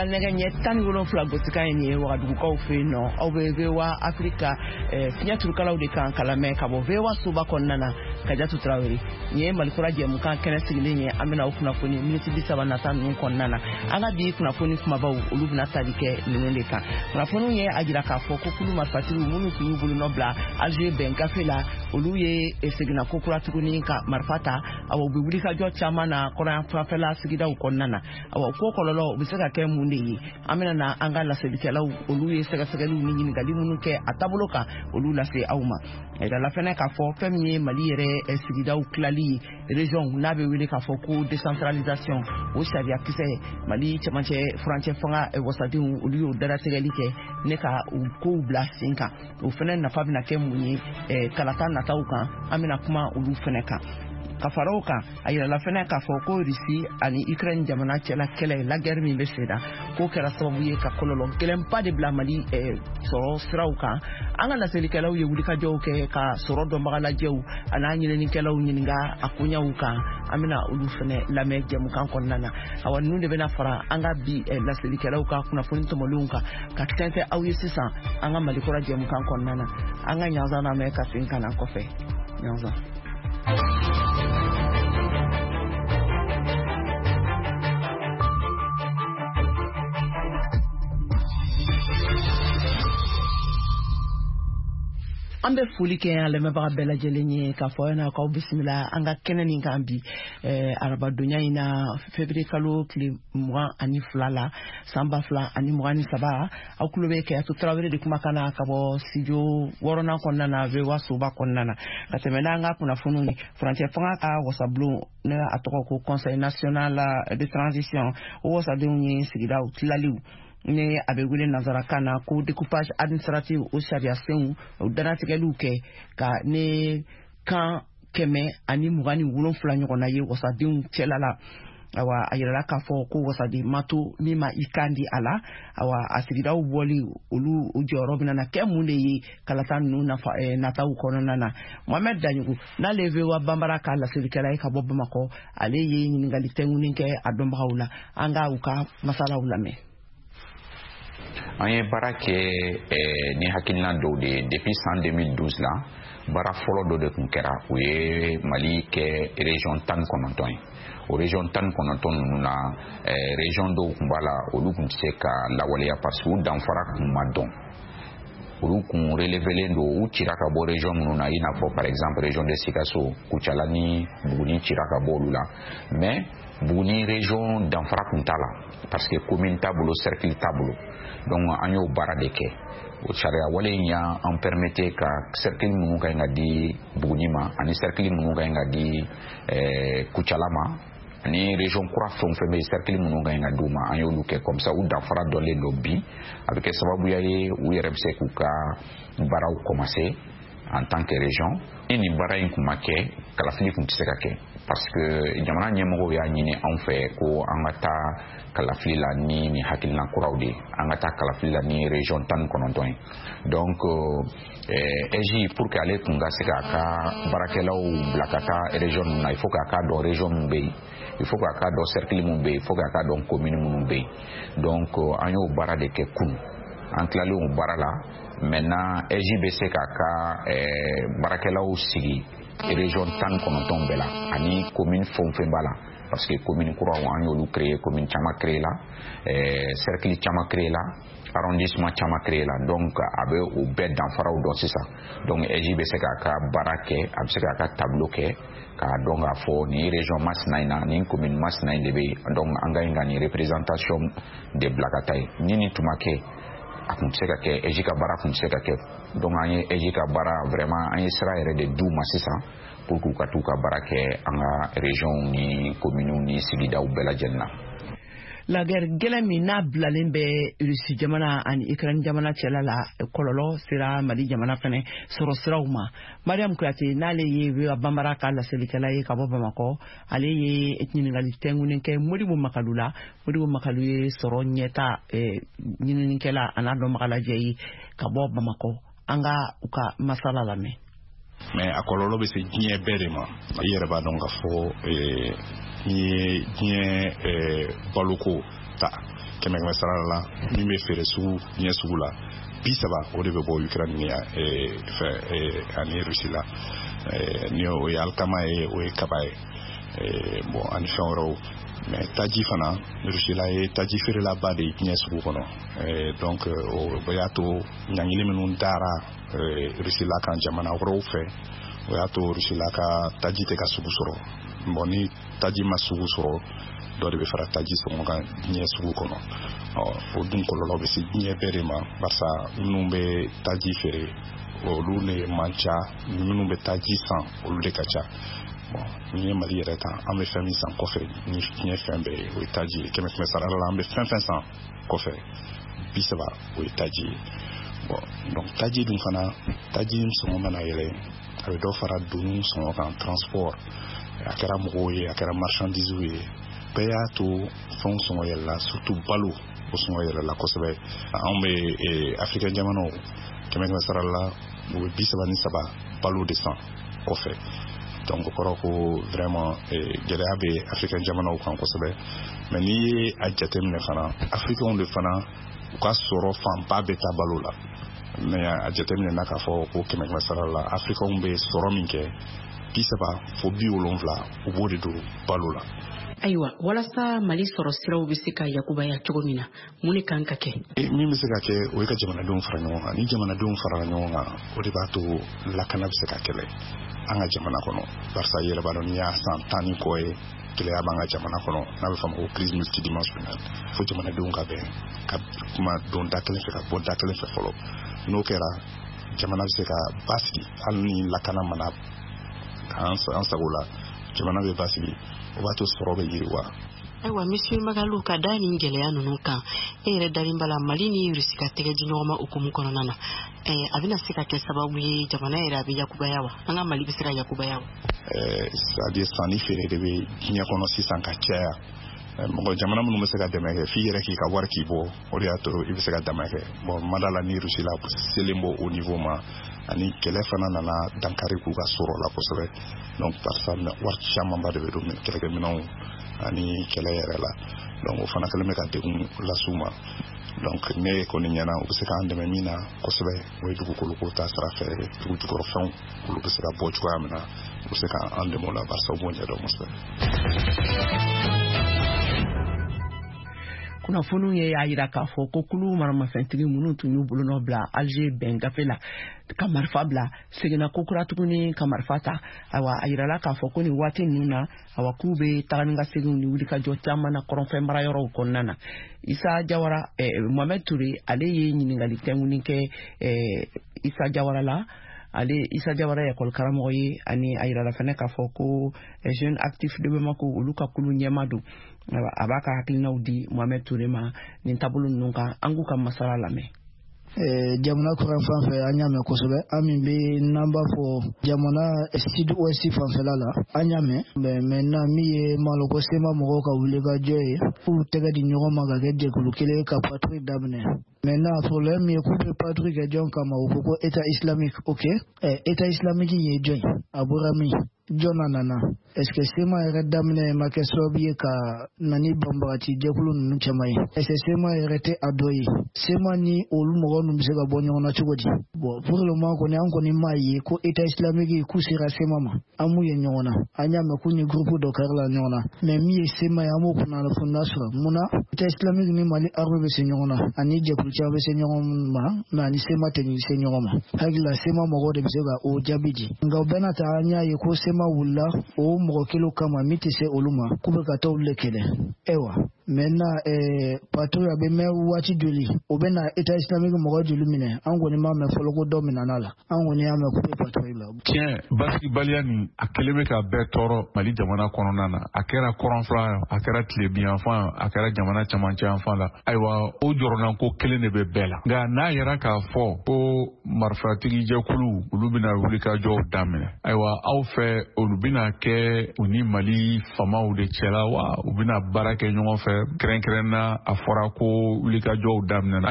Nɛgɛ ɲɛ 17 gosikan ye nin ye Wagadugukaw fɛ yen nɔ. Aw bɛ VOA Afrika fiɲɛ turukalaw de kan kalamɛ ka bɔ VOA soba kɔnɔna na. Kajatu Tarawele, nin ye Malikura jɛmukan kɛnɛ sigilen ye. An bɛna aw kunnafoni miniti 30 nata ninnu kɔnɔna na. An ka bi kunnafoni kumabaw, olu bɛna tali kɛ ninnu de kan. Kunnafoniw ye a jira k'a fɔ ko kulu marifatigiw minnu tun y'u bolonɔ bila Alger bɛn gafe la, olu ye seginna ko kura tuguni ka marifa ta. Awa, u bɛ wulikajɔ caman na kɔrɔnyanfanfɛla sigidaw kɔnɔna na. Awa, ko kɔlɔlɔ u bɛ se ka kɛ mun de ye? An bɛna na an ka laselikɛlaw, olu ye sɛgɛsɛgɛliw ni ɲininkali minnu kɛ a taabolo kan, olu lase aw ma. A yirala fɛnɛ k'a fɔ fɛn min ye Mali yɛrɛ sigidaw tilali ye, région, n'a bɛ wele k'a fɔ ko décentralisation, o sariya kisɛ, Mali cɛmancɛ furancɛ fanga wasadenw, olu y'o dalatigɛli kɛ ne ka u kow bila sen kan. O fɛnɛ nafa bɛna kɛ mun ye kalata nataw kan? An bɛna kuma olu fɛnɛ kan. Ka fara o kan, a yirala fɛnɛ k'a fɔ ko Rusi ani Ukraine jamana cɛla kɛlɛ, la guerre min bɛ sen na, k'o kɛra sababu ye ka kɔlɔlɔ gɛlɛnba de bila Mali sɔrɔ siraw kan. An ka laselikɛlaw ye wulikajɔw kɛ ka sɔrɔ dɔnbaga lajɛw an'a ɲininikɛlaw ɲininka a koɲɛw kan. An bɛna olu fɛnɛ lamɛn jɛmukan kɔnɔna na. Awa, ninnu de bɛna fara an ka bi laselikɛlaw ka kunnafoni tɔmɔlenw kan ka tɛntɛn aw ye sisan an ka Malikura jɛmukan kɔnɔna na. An ka ɲanzan lamɛn ka segin ka na kɔfɛ. Ɲanzan. An bɛ foli kɛ an lamɛnbaga bɛɛ lajɛlen ye k'a fɔ aw ɲɛna k'aw bisimila an ka kɛnɛ nin kan bi arabadonya in na, février kalo tile 22 la, san 2023. Aw tulo bɛ Kajatu Tarawele de kumakan na ka bɔ studio wɔɔrɔnan kɔnɔna na, VOA soba kɔnɔna na. Ka tɛmɛ n'an ka kunnafoniw ye, furancɛ fanga ka wasabulon, ne a tɔgɔ ko Conseil national de transition, o wasadenw ye sigidaw tilaliw, ni a bɛ wele nanzarakan na ko découpage administratif, o sariya senw, o dannatigɛliw kɛ ka ne kan 127 ɲɔgɔnna ye wasadenw cɛla la. Awa, a yirala k'a fɔ ko wasaden ma to min ma i kan di a la. Awa, a sigidaw bɔli, olu u jɔyɔrɔ bɛna na kɛ mun de ye kalata ninnu nafa nataw kɔnɔna na? Mohamɛd Daɲogo, n'ale ye VOA Banbara ka laselikɛla ye ka bɔ Bamakɔ, ale ye ɲininkali tɛnkunin kɛ a dɔnbagaw la. An ka u ka masalaw lamɛn. An ye baara kɛ ni hakilina dɔw de ye depuis san 2012 la. Baara fɔlɔ dɔ de tun kɛra, o ye Mali kɛ région 19 ye. O région 19 ninnu na, région dɔw tun b'a la, olu tun tɛ se ka lawaleya parce que u danfara tun ma dɔn, olu kun relevelen don, u cira ka bɔ région minnu na, i n'a fɔ par exemple région de Sikaso, Kucala ni Buguni cira ka bɔ olu la. Mais Buguni région danfara kun t'a la parce que commune t'a bolo, cercle t'a bolo. Donc an y'o baara de kɛ. O sariya wale in y'an permettre ka cercle minnu ka ɲi ka di Buguni ma ani cercle minnu ka ɲi ka di Kucala ma ani région kura fɛn o fɛn bɛ yen, cercle minnu ka ɲi ka d'u ma, an y'olu kɛ comme ça u danfara dɔnlen don. Bi a bɛ kɛ sababuya ye, u yɛrɛ bɛ se k'u ka baaraw commencer en tant que région. Ni nin baara in kun ma kɛ, kalafili kun tɛ se ka kɛ parce que jamana ɲɛmɔgɔw y'a ɲini anw fɛ ko an ka taa kalafili la ni nin hakilina kuraw de ye, an ka taa kalafili la ni région 19 ye. Donc AIGE, pour que ale kun ka se k'a ka baarakɛlaw bila ka taa région ninnu na, il faut k'a ka dɔn région min bɛ yen, il faut k'a ka dɔn cercle min bɛ yen, il faut k'a ka dɔn commune minnu bɛ yen. Donc an y'o baara de kɛ kunun. An tilalen o baara la, maintenant AIGE bɛ se k'a ka baarakɛlaw sigi région 19 bɛɛ la ani commune fɛn o fɛn b'a la, parce que commune kuraw, an y'olu créer, commune caman créé la, cercle caman créé la, arrondissement caman créé la. Donc a bɛ o bɛɛ danfaraw dɔn sisan. Donc AIGE bɛ se k'a ka baara kɛ, a bɛ se k'a ka tableau kɛ k'a dɔn k'a fɔ nin région masina in na, nin commune masina in de bɛ yen, donc an ka ɲi ka nin représentation de bila ka taa yen. Ni nin tun ma kɛ, a kun tɛ se ka kɛ, AIGE ka baara kun tɛ se ka kɛ. Donc an ye AIGE ka baara, vraiment an ye sira yɛrɛ de d'u ma sisan pour k'u ka t'u ka baara kɛ an ka région ni communes ni sigidaw bɛɛ lajɛlen na. La guerre gɛlɛn min n'a bilalen bɛ Rusi jamana ani Ukraine jamana cɛla la, kɔlɔlɔ sera Mali jamana fɛnɛ sɔrɔ siraw ma. Mariam Kuyate, n'ale ye VOA Banbara ka laselikɛla ye ka bɔ Bamakɔ, ale ye ɲininkali tɛnkunnen kɛ Modibo Makalu la. Modibo Makalu ye sɔrɔ ɲɛta ɲininikɛla an'a dɔnbagalajɛ ye ka bɔ Bamakɔ. An ka u ka masala lamɛn. Mais a kɔlɔlɔ bɛ se diɲɛ bɛɛ de ma. I yɛrɛ b'a dɔn k'a fɔ n'i ye diɲɛ baloko ta Kɛmɛ sara la, min bɛ feere sugu diɲɛ sugu la, 30, o de bɛ bɔ Ukraine ni fɛ ani Russie la. Ni o ye alikama ye, o ye kaba ye, bon, ani fɛn wɛrɛw. Mais taji fana, Russie la ye taji feerelaba de ye diɲɛ sugu kɔnɔ. Donc o y'a to ɲangili minnu dara Russie la kan jamana wɛrɛw fɛ, o y'a to Russie la ka taji tɛ ka sugu sɔrɔ. Bon, ni taji ma sugu sɔrɔ, dɔ de bɛ fara taji sɔngɔ kan diɲɛ sugu kɔnɔ. Ɔ, o dun kɔlɔlɔ bɛ se diɲɛ bɛɛ de ma, barisa minnu bɛ taji feere, olu de man ca, minnu bɛ taji san, olu de ka ca. Bon, n'i ye Mali yɛrɛ ta, an bɛ fɛn min san kɔfɛ ni diɲɛ fɛn bɛɛ ye, o ye taji ye. Kɛmɛ kɛmɛ sara la, an bɛ fɛn fɛn san kɔfɛ, 30, o ye taji ye. Bon, donc taji dun fana, taji sɔngɔ mana yɛlɛ, a bɛ dɔ fara doniw sɔngɔ kan, transport, a kɛra mɔgɔw ye, a kɛra marchandise ye, bɛɛ y'a to fɛnw sɔngɔ yɛlɛla, surtout balo, o sɔngɔ yɛlɛla kosɛbɛ. Anw bɛ Afirika jamanaw, kɛmɛ kɛmɛ sara la, u bɛ 33 balo de san kɔfɛ. Donc o kɔrɔ ko vraiment gɛlɛya bɛ Afirika jamanaw kan kosɛbɛ. Mais n'i ye a jateminɛ fana, Afirikɛnw de fana, u ka sɔrɔ fanba bɛ taa balo la. Mais a jateminɛ na k'a fɔ ko kɛmɛ kɛmɛ sara la, Afirikɛnw bɛ sɔrɔ min kɛ, 30 fo 70, u b'o de don balo la. Ayiwa, walasa Mali sɔrɔ siraw bɛ se ka yakubaya cogo min na, mun de kan ka kɛ? Min bɛ se ka kɛ, o ye ka jamanadenw fara ɲɔgɔn kan. Ni jamanadenw farala ɲɔgɔn kan, o de b'a to lakana bɛ se ka kɛlɛ an ka jamana kɔnɔ, barisa i yɛrɛ b'a dɔn, n'i y'a san 10 ni kɔ ye, gɛlɛya b'an ka jamana kɔnɔ, n'a bɛ fɔ a ma ko crise multidimensionnelle. Fo jamanadenw ka bɛn ka kuma don da kelen fɛ, ka bɔ da kelen fɛ fɔlɔ. N'o kɛra, jamana bɛ se ka basigi. Hali ni lakana mana an sago la, jamana bɛ basigi, o b'a to sɔrɔ bɛ yiriwa. Ayiwa, Monsieur Magalu, ka da nin gɛlɛya ninnu kan, e yɛrɛ dalen b'a la Mali ni Rusi ka tɛgɛ di ɲɔgɔn ma hukumu kɔnɔna na, a bɛna se ka kɛ sababu ye jamana yɛrɛ a bɛ yakubaya wa? An ka Mali bɛ se ka yakubaya wa? C'est à dire sanni feere de bɛ diɲɛ kɔnɔ sisan ka caya. Mɔgɔ jamana minnu bɛ se ka dɛmɛ kɛ, f'i yɛrɛ k'i ka wari k'i bɔ, o de y'a to i bɛ se ka dɛmɛ kɛ. Bon, mada la ni Rusi la selen bɔ o niveau ma, ani kɛlɛ fana nana dankari k'u ka sɔrɔ la kosɛbɛ. Donc parisa wari camanba de bɛ don kɛlɛkɛminɛnw ani kɛlɛ yɛrɛ la. Donc o fana kɛlen bɛ ka degun las'u ma. Donc ne kɔni ɲɛna, u bɛ se k'an dɛmɛ min na kosɛbɛ, o ye dugukoloko ta sira fɛ, dugu jukɔrɔfɛnw, olu bɛ se ka bɔ cogoya min na, u bɛ se k'an dɛmɛ o la, barisa u b'o ɲɛdɔn kosɛbɛ. Kunnafoniw ye y'a yira k'a fɔ ko kulu maramafɛntigi minnu tun y'u bolonɔ bila Alger bɛn gafe la ka marifa bila, seginna kokura tuguni ka marifa ta. Ayiwa, a yirala k'a fɔ ko nin waati ninnu na, awa, k'u bɛ taga ni ka seginw ni wulikajɔ caman na kɔrɔnfɛ marayɔrɔw kɔnɔna na. Isa Jawara, Mohamed Toure, ale ye ɲininkali tɛnkuni kɛ Isa Jawara la. Ale Isa Jawara ye ekɔli karamɔgɔ ye, ani a yirala fɛnɛ k'a fɔ ko Jeune Actif de Bamako, olu ka kulu ɲɛma don. A b'a ka hakilinaw di Mohamed Toure ma nin taabolo ninnu kan. An k'u ka masala lamɛn. Jamana kɔrɔn fan fɛ, an y'a mɛn kosɛbɛ. An min bɛ n'an b'a fɔ jamana sud ouest fanfɛla la, an y'a mɛn. Mais maintenant, min ye maloko CMA mɔgɔw ka wulikajɔ ye, k'u tɛgɛ di ɲɔgɔn ma ka kɛ jɛkulu kelen ka patrouille daminɛ. Maintenant, problème ye k'u bɛ patrouille kɛ jɔn kama? U ko ko État islamique. Ok, État islamique ye jɔn ye? A bɔra min? Jɔn na nana? Est ce que CMA yɛrɛ daminɛ ma kɛ sababu ye ka na ni banbagaci jɛkulu ninnu caman ye? Est ce que CMA yɛrɛ tɛ a dɔ ye? CMA ni olu mɔgɔ ninnu bɛ se ka bɔ ɲɔgɔn na cogo di? Bon, pour le moment kɔni, an kɔni m'a ye ko État islamique k'u sera CMA ma. An m'u ye ɲɔgɔn na. An y'a mɛn k'u ni groupe dɔ kɛrila ɲɔgɔn na, mais min ye CMA ye, an b'o kunnafoniya sɔrɔ. Mun na État islamique ni Mali armée bɛ se ɲɔgɔn na, ani jɛkulu caman bɛ se ɲɔgɔn ma, mais ani CMA tɛ se ɲɔgɔn ma? Hakili la, CMA mɔgɔw de bɛ se ka o jaabi di. Nka o bɛɛ n'a ta, an y'a ye ko CMA wulila o mɔgɔ kelen kama min tɛ se olu ma, k'u bɛ ka taa olu de kɛlɛ. Ayiwa, maintenant, patrouille a bɛ mɛn waati joli? O bɛ na État islamique mɔgɔ joli minɛ? An kɔni m'a mɛn fɔlɔ ko dɔ minɛna la. An kɔni y'a mɛn k'u bɛ patrouille la. Tiɲɛ, basigibaliya nin, a kɛlen bɛ ka bɛɛ tɔɔrɔ Mali jamana kɔnɔna na. A kɛra kɔrɔnfɛla, a kɛra tilebinyanfan, a kɛra jamana camancɛ yanfan la. Ayiwa, o jɔrɔnanko kelen de bɛ bɛɛ la. Nka n'a yɛrɛ k'a fɔ ko marifatigi jɛkulu, olu bɛna wulikajɔw daminɛ, ayiwa, aw fɛ, olu bɛna kɛ u ni Mali famaw de cɛla wa, u bɛna baara kɛ ɲɔgɔn fɛ? Kɛrɛnkɛrɛnna, a fɔra ko wulikajɔw daminɛna.